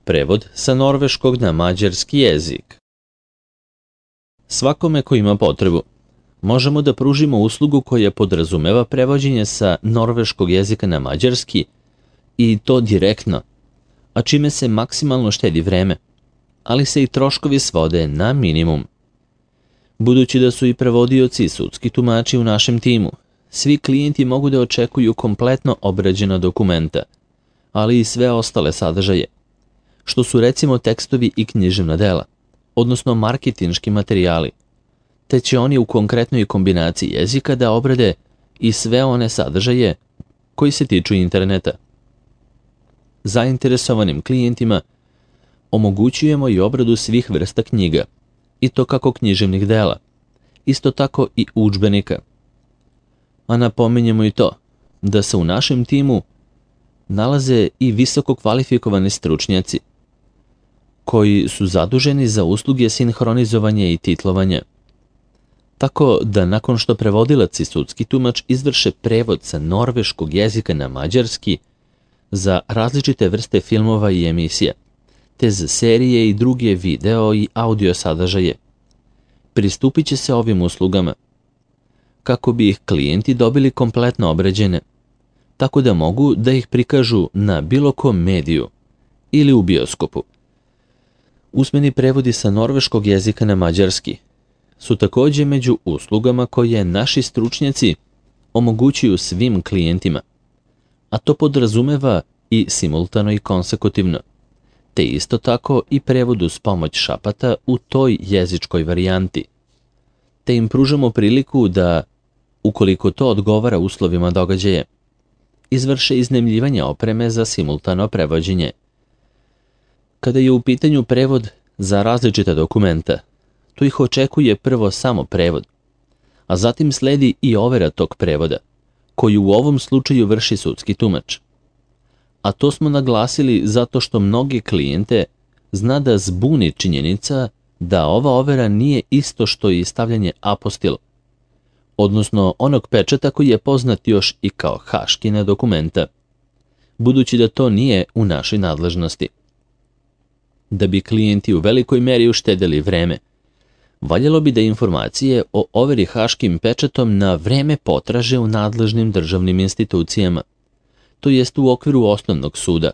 Prevod sa norveškog na mađarski jezik. Svakome ko ima potrebu, možemo da pružimo uslugu koja podrazumeva prevođenje sa norveškog jezika na mađarski i to direktno, a čime se maksimalno štedi vreme, ali se i troškovi svode na minimum. Budući da su i prevodioci i sudski tumači u našem timu, svi klijenti mogu da očekuju kompletno obrađena dokumenta, ali i sve ostale sadržaje, što su recimo tekstovi i književna dela, odnosno marketinški materijali, te će oni u konkretnoj kombinaciji jezika da obrade i sve one sadržaje koji se tiču interneta. Zainteresovanim klijentima omogućujemo i obradu svih vrsta knjiga, i to kako književnih dela, isto tako i udžbenika. A napominjemo i to da se u našem timu nalaze i visoko kvalifikovani stručnjaci koji su zaduženi za usluge sinhronizovanja i titlovanja. Tako da nakon što prevodilac i sudski tumač izvrše prevod sa norveškog jezika na mađarski za različite vrste filmova i emisija, te za serije i druge video i audio sadržaje, pristupit će se ovim uslugama kako bi ih klijenti dobili kompletno obrađene, tako da mogu da ih prikažu na bilo kom mediju ili u bioskopu. Usmeni prevodi sa norveškog jezika na mađarski su također među uslugama koje naši stručnjaci omogućuju svim klijentima, a to podrazumeva i simultano i konsekutivno, te isto tako i prevod uz pomoć šapata u toj jezičkoj varijanti, te im pružamo priliku da, ukoliko to odgovara uslovima događaja, izvrše iznajmljivanje opreme za simultano prevođenje. Kada je u pitanju prevod za različita dokumenta, tu ih očekuje prvo samo prevod, a zatim sledi i overa tog prevoda, koju u ovom slučaju vrši sudski tumač. A to smo naglasili zato što mnogi klijente zna da zbuni činjenica da ova overa nije isto što i stavljanje apostil, odnosno onog pečata koji je poznat još i kao haškina dokumenta, budući da to nije u našoj nadležnosti. Da bi klijenti u velikoj meri uštedeli vreme, valjalo bi da informacije o overi haškim pečatom na vreme potraže u nadležnim državnim institucijama, to jest u okviru osnovnog suda,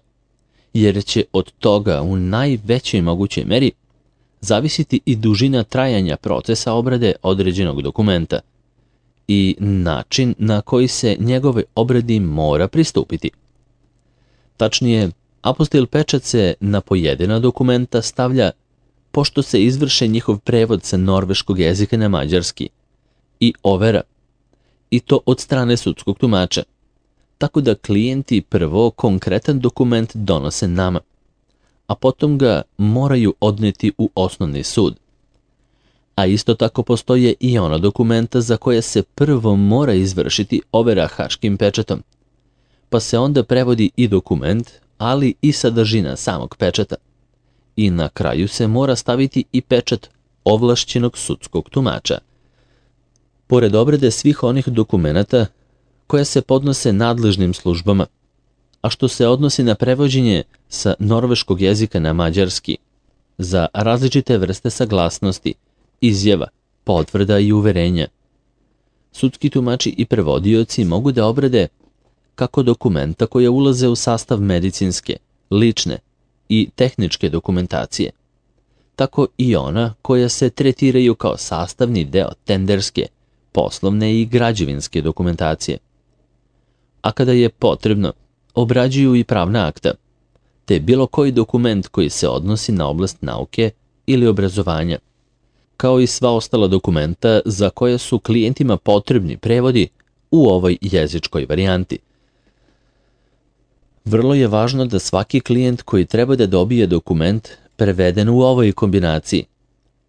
jer će od toga u najvećoj mogućoj meri zavisiti i dužina trajanja procesa obrade određenog dokumenta i način na koji se njegove obradi mora pristupiti. Tačnije, apostil pečat se na pojedina dokumenta stavlja pošto se izvrše njihov prevod sa norveškog jezika na mađarski i overa, i to od strane sudskog tumača, tako da klijenti prvo konkretan dokument donose nama, a potom ga moraju odneti u osnovni sud. A isto tako postoje i ona dokumenta za koje se prvo mora izvršiti overa haškim pečatom, pa se onda prevodi i dokument, ali i sadržina samog pečata. I na kraju se mora staviti i pečat ovlašćenog sudskog tumača. Pored obrade svih onih dokumenata koja se podnose nadležnim službama, a što se odnosi na prevođenje sa norveškog jezika na mađarski, za različite vrste saglasnosti, izjava, potvrda i uverenja, sudski tumači i prevodioci mogu da obrade kako dokumenta koja ulaze u sastav medicinske, lične i tehničke dokumentacije, tako i ona koja se tretiraju kao sastavni deo tenderske, poslovne i građevinske dokumentacije. A kada je potrebno, obrađuju i pravna akta, te bilo koji dokument koji se odnosi na oblast nauke ili obrazovanja, kao i sva ostala dokumenta za koje su klijentima potrebni prevodi u ovoj jezičkoj varijanti. Vrlo je važno da svaki klijent koji treba da dobije dokument preveden u ovoj kombinaciji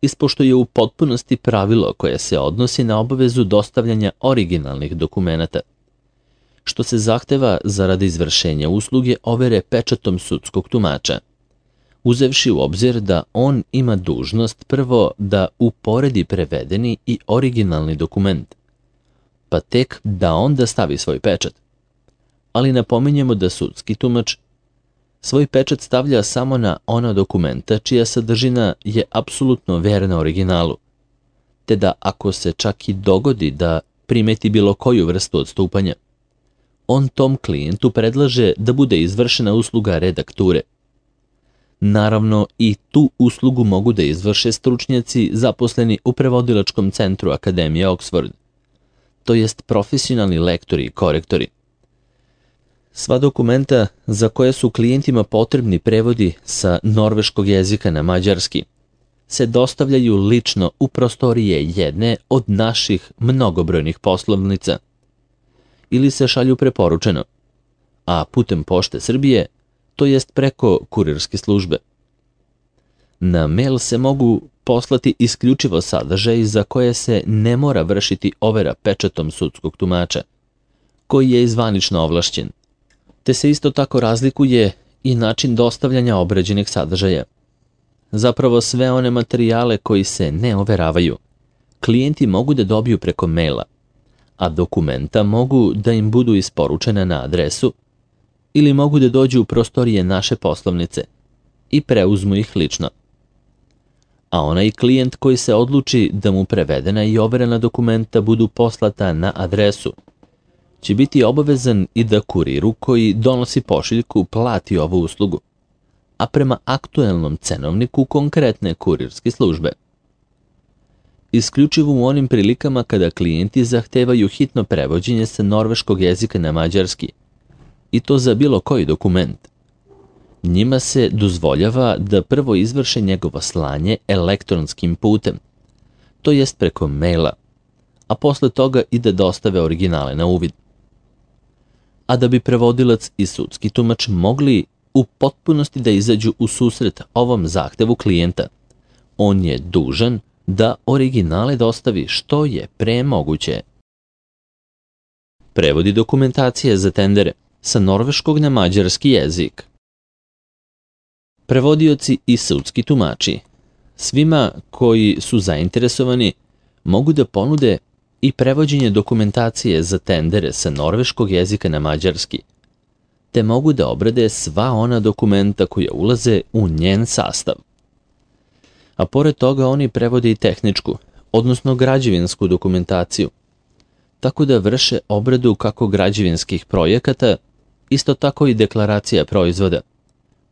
ispoštuje u potpunosti pravilo koje se odnosi na obavezu dostavljanja originalnih dokumenata, što se zahteva zaradi izvršenja usluge overe pečatom sudskog tumača, uzevši u obzir da on ima dužnost prvo da uporedi prevedeni i originalni dokument, pa tek da onda stavi svoj pečat. Ali napominjemo da sudski tumač svoj pečat stavlja samo na ona dokumenta čija sadržina je apsolutno verna originalu, te da ako se čak i dogodi da primeti bilo koju vrstu odstupanja, on tom klijentu predlaže da bude izvršena usluga redakture. Naravno, i tu uslugu mogu da izvrše stručnjaci zaposleni u prevodilačkom centru Akademije Oxford, to jest profesionalni lektori i korektori. Sva dokumenta za koje su klijentima potrebni prevodi sa norveškog jezika na mađarski se dostavljaju lično u prostorije jedne od naših mnogobrojnih poslovnica ili se šalju preporučeno, a putem Pošte Srbije, to jest preko kurirske službe. Na mail se mogu poslati isključivo sadržaj za koje se ne mora vršiti overa pečatom sudskog tumača, koji je zvanično ovlašćen, te se isto tako razlikuje i način dostavljanja obrađenih sadržaja. Zapravo sve one materijale koji se ne overavaju, klijenti mogu da dobiju preko maila, a dokumenta mogu da im budu isporučena na adresu ili mogu da dođu u prostorije naše poslovnice i preuzmu ih lično. A onaj klijent koji se odluči da mu prevedena i overena dokumenta budu poslata na adresu, će biti obavezan i da kuriru koji donosi pošiljku plati ovu uslugu, a prema aktuelnom cenovniku konkretne kurirske službe. Isključivo u onim prilikama kada klijenti zahtevaju hitno prevođenje sa norveškog jezika na mađarski, i to za bilo koji dokument, njima se dozvoljava da prvo izvrše njegovo slanje elektronskim putem, to jest preko maila, a posle toga i da dostave originale na uvid. A da bi prevodilac i sudski tumač mogli u potpunosti da izađu u susret ovom zahtevu klijenta, on je dužan da originale dostavi što je pre moguće. Prevodi dokumentacije za tendere sa norveškog na mađarski jezik. Prevodioci i sudski tumači svima koji su zainteresovani mogu da ponude i prevođenje dokumentacije za tendere sa norveškog jezika na mađarski, te mogu da obrade sva ona dokumenta koja ulaze u njen sastav. A pored toga oni prevode i tehničku, odnosno građevinsku dokumentaciju, tako da vrše obradu kako građevinskih projekata, isto tako i deklaracija proizvoda,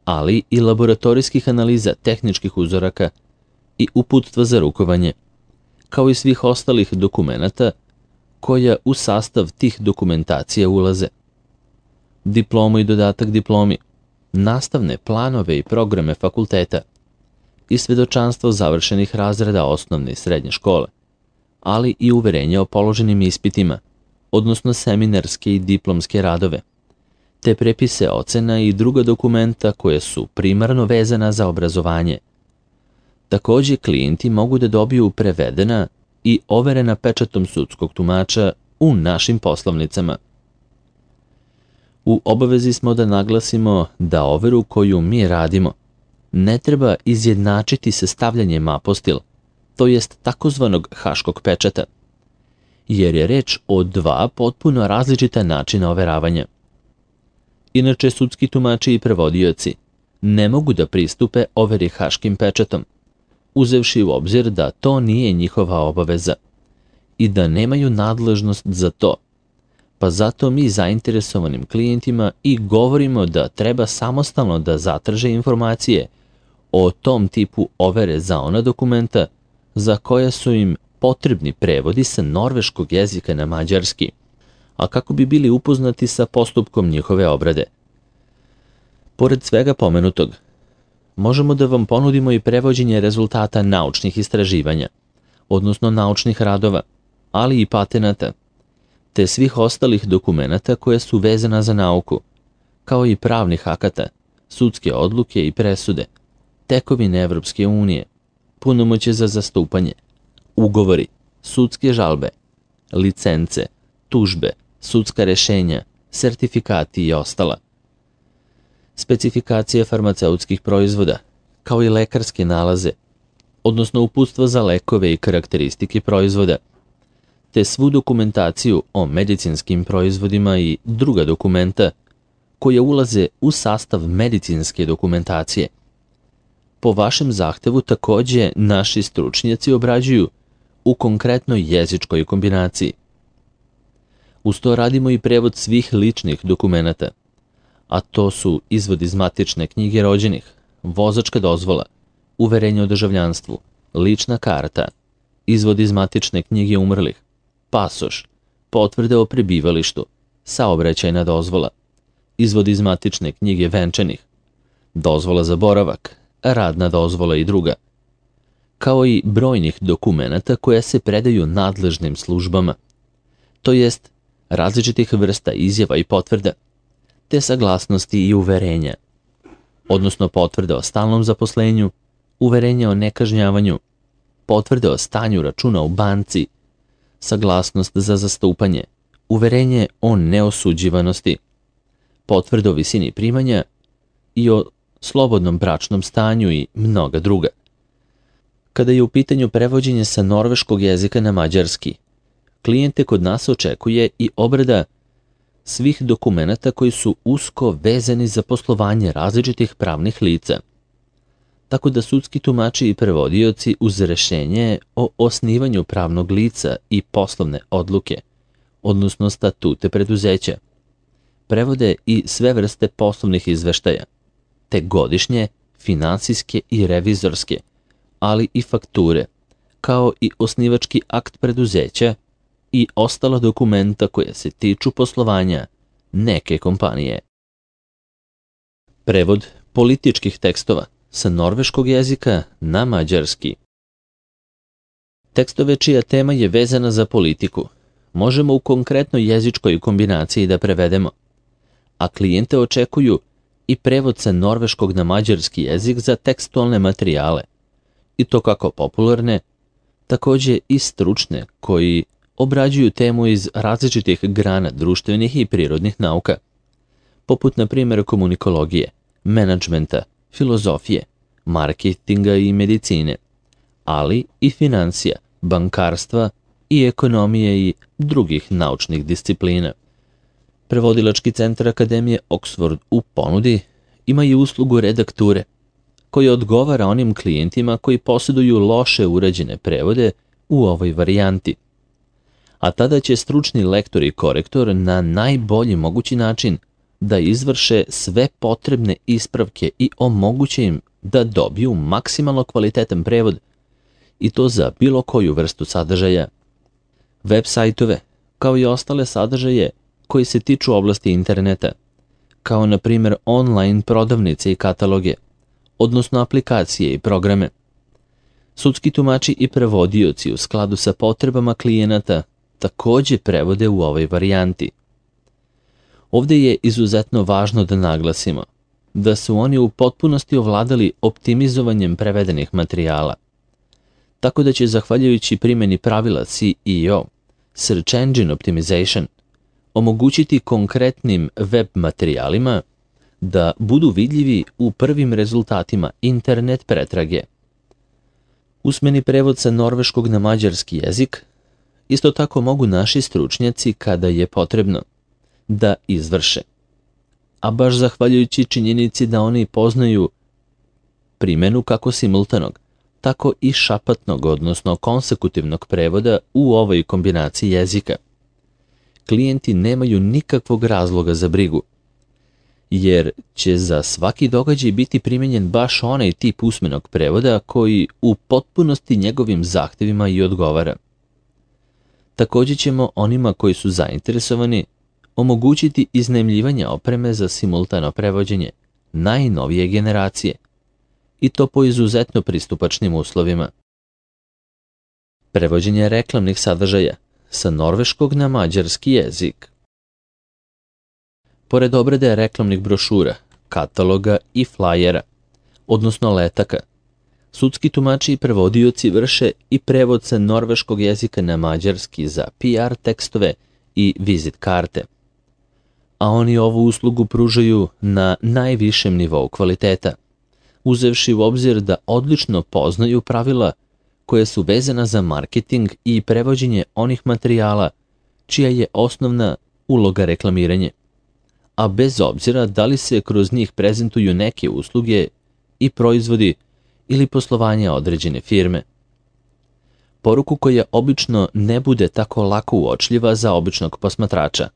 ali i laboratorijskih analiza tehničkih uzoraka i uputstva za rukovanje, kao i svih ostalih dokumenata koja u sastav tih dokumentacija ulaze. Diplomu i dodatak diplomi, nastavne planove i programe fakulteta i svedočanstvo završenih razreda osnovne i srednje škole, ali i uverenje o položenim ispitima, odnosno seminarske i diplomske radove, te prepise ocena i druga dokumenta koje su primarno vezana za obrazovanje. Takođe, klijenti mogu da dobiju prevedena i overena pečatom sudskog tumača u našim poslovnicama. U obavezi smo da naglasimo da overu koju mi radimo ne treba izjednačiti sa stavljanjem apostil, to jest takozvanog haškog pečata, jer je reč o dva potpuno različita načina overavanja. Inače, sudski tumači i prevodioci ne mogu da pristupe overi haškim pečatom, uzevši u obzir da to nije njihova obaveza i da nemaju nadležnost za to, pa zato mi zainteresovanim klijentima i govorimo da treba samostalno da zatraže informacije o tom tipu overe za ona dokumenta za koje su im potrebni prevodi sa norveškog jezika na mađarski, a kako bi bili upoznati sa postupkom njihove obrade. Pored svega pomenutog, možemo da vam ponudimo i prevođenje rezultata naučnih istraživanja, odnosno naučnih radova, ali i patenata, te svih ostalih dokumenata koje su vezana za nauku, kao i pravnih akata, sudske odluke i presude, tekovine Evropske unije, punomoćje za zastupanje, ugovori, sudske žalbe, licence, tužbe, sudska rešenja, sertifikati i ostala. Specifikacije farmaceutskih proizvoda, kao i lekarske nalaze, odnosno uputstva za lekove i karakteristike proizvoda, te svu dokumentaciju o medicinskim proizvodima i druga dokumenta koje ulaze u sastav medicinske dokumentacije. Po vašem zahtevu takođe naši stručnjaci obrađuju u konkretnoj jezičkoj kombinaciji. Uz to radimo i prevod svih ličnih dokumenata, a to su izvod iz matične knjige rođenih, vozačka dozvola, uverenje o državljanstvu, lična karta, izvod iz matične knjige umrlih, pasoš, potvrde o prebivalištu, saobraćajna dozvola, izvod iz matične knjige venčanih, dozvola za boravak, radna dozvola i druga, kao i brojnih dokumenata koja se predaju nadležnim službama, to jest različitih vrsta izjava i potvrda, te saglasnosti i uverenja, odnosno potvrde o stalnom zaposlenju, uverenje o nekažnjavanju, potvrde o stanju računa u banci, saglasnost za zastupanje, uverenje o neosuđivanosti, potvrde o visini primanja i o slobodnom bračnom stanju i mnoga druga. Kada je u pitanju prevođenje sa norveškog jezika na mađarski, klijente kod nas očekuje i obrada svih dokumenata koji su usko vezani za poslovanje različitih pravnih lica, tako da sudski tumači i prevodioci uz rešenje o osnivanju pravnog lica i poslovne odluke, odnosno statute preduzeća, prevode i sve vrste poslovnih izveštaja, te godišnje, finansijske i revizorske, ali i fakture, kao i osnivački akt preduzeća i ostala dokumenta koja se tiču poslovanja neke kompanije. Prevod političkih tekstova sa norveškog jezika na mađarski. Tekstove čija tema je vezana za politiku možemo u konkretnoj jezičkoj kombinaciji da prevedemo, a klijente očekuju i prevod sa norveškog na mađarski jezik za tekstualne materijale, i to kako popularne, takođe i stručne koji obrađuju temu iz različitih grana društvenih i prirodnih nauka, poput na primjer komunikologije, menadžmenta, filozofije, marketinga i medicine, ali i financija, bankarstva i ekonomije i drugih naučnih disciplina. Prevodilački centar Akademije Oxford u ponudi ima i uslugu redakture, koja odgovara onim klijentima koji posjeduju loše urađene prevode u ovoj varijanti. A tada će stručni lektor i korektor na najbolji mogući način da izvrše sve potrebne ispravke i omoguće im da dobiju maksimalno kvalitetan prevod, i to za bilo koju vrstu sadržaja. Web sajtove, kao i ostale sadržaje koji se tiču oblasti interneta, kao na primjer online prodavnice i kataloge, odnosno aplikacije i programe. Sudski tumači i prevodioci u skladu sa potrebama klijenata takođe prevode u ovoj varijanti. Ovdje je izuzetno važno da naglasimo da su oni u potpunosti ovladali optimizovanjem prevedenih materijala, tako da će zahvaljujući primjeni pravila SEO, Search Engine Optimization, omogućiti konkretnim web materijalima da budu vidljivi u prvim rezultatima internet pretrage. Usmeni prevod sa norveškog na mađarski jezik isto tako mogu naši stručnjaci, kada je potrebno, da izvrše. A baš zahvaljujući činjenici da oni poznaju primjenu kako simultanog, tako i šapatnog, odnosno konsekutivnog prevoda u ovoj kombinaciji jezika. Klijenti nemaju nikakvog razloga za brigu, jer će za svaki događaj biti primijenjen baš onaj tip usmenog prevoda koji u potpunosti njegovim zahtjevima i odgovara. Također ćemo onima koji su zainteresovani omogućiti iznajmljivanje opreme za simultano prevođenje najnovije generacije, i to po izuzetno pristupačnim uslovima. Prevođenje reklamnih sadržaja sa norveškog na mađarski jezik. Pored obrade reklamnih brošura, kataloga i flajera, odnosno letaka, sudski tumači i prevodioci vrše i prevod sa norveškog jezika na mađarski za PR tekstove i vizit karte. A oni ovu uslugu pružaju na najvišem nivou kvaliteta, uzevši u obzir da odlično poznaju pravila koje su vezana za marketing i prevođenje onih materijala čija je osnovna uloga reklamiranje, a bez obzira da li se kroz njih prezentuju neke usluge i proizvodi ili poslovanje određene firme. Poruku koja obično ne bude tako lako uočljiva za običnog posmatrača,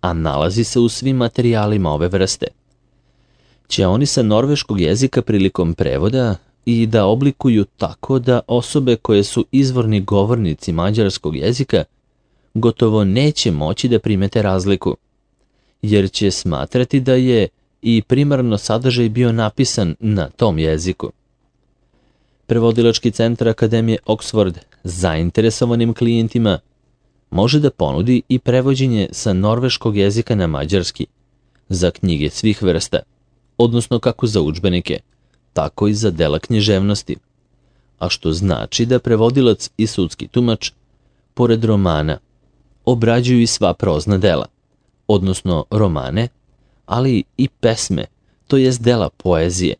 a nalazi se u svim materijalima ove vrste, će oni sa norveškog jezika prilikom prevoda i da oblikuju tako da osobe koje su izvorni govornici mađarskog jezika gotovo neće moći da primete razliku, jer će smatrati da je i primarno sadržaj bio napisan na tom jeziku. Prevodilački centar Akademije Oxford zainteresovanim klijentima može da ponudi i prevođenje sa norveškog jezika na mađarski za knjige svih vrsta, odnosno kako za udžbenike, tako i za dela književnosti, a što znači da prevodilac i sudski tumač, pored romana, obrađuju i sva prozna dela, odnosno romane, ali i pesme, to jest dela poezije,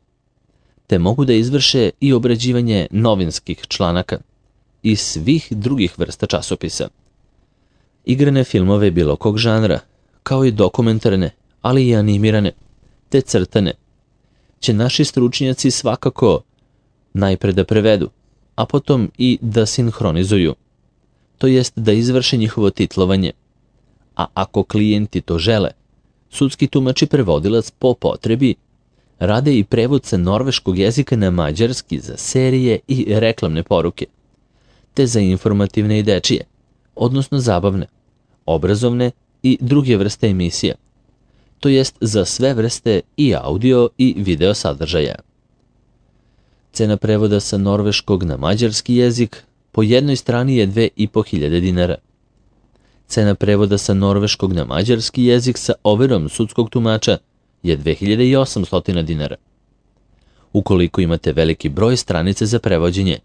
te mogu da izvrše i obrađivanje novinskih članaka i svih drugih vrsta časopisa. Igrane filmove bilo kog žanra, kao i dokumentarne, ali i animirane, te crtane, će naši stručnjaci svakako najpre da prevedu, a potom i da sinhronizuju, to jest da izvrše njihovo titlovanje. A ako klijenti to žele, sudski tumač i prevodilac po potrebi rade i prevod sa norveškog jezika na mađarski za serije i reklamne poruke, te za informativne i dečije, odnosno zabavne, obrazovne i druge vrste emisija, to jest za sve vrste i audio i video sadržaja. Cena prevoda sa norveškog na mađarski jezik po jednoj strani je 2.500 dinara. Cena prevoda sa norveškog na mađarski jezik sa overom sudskog tumača je 2.800 dinara. Ukoliko imate veliki broj stranica za prevođenje,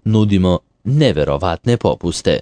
nudimo neverovatne popuste.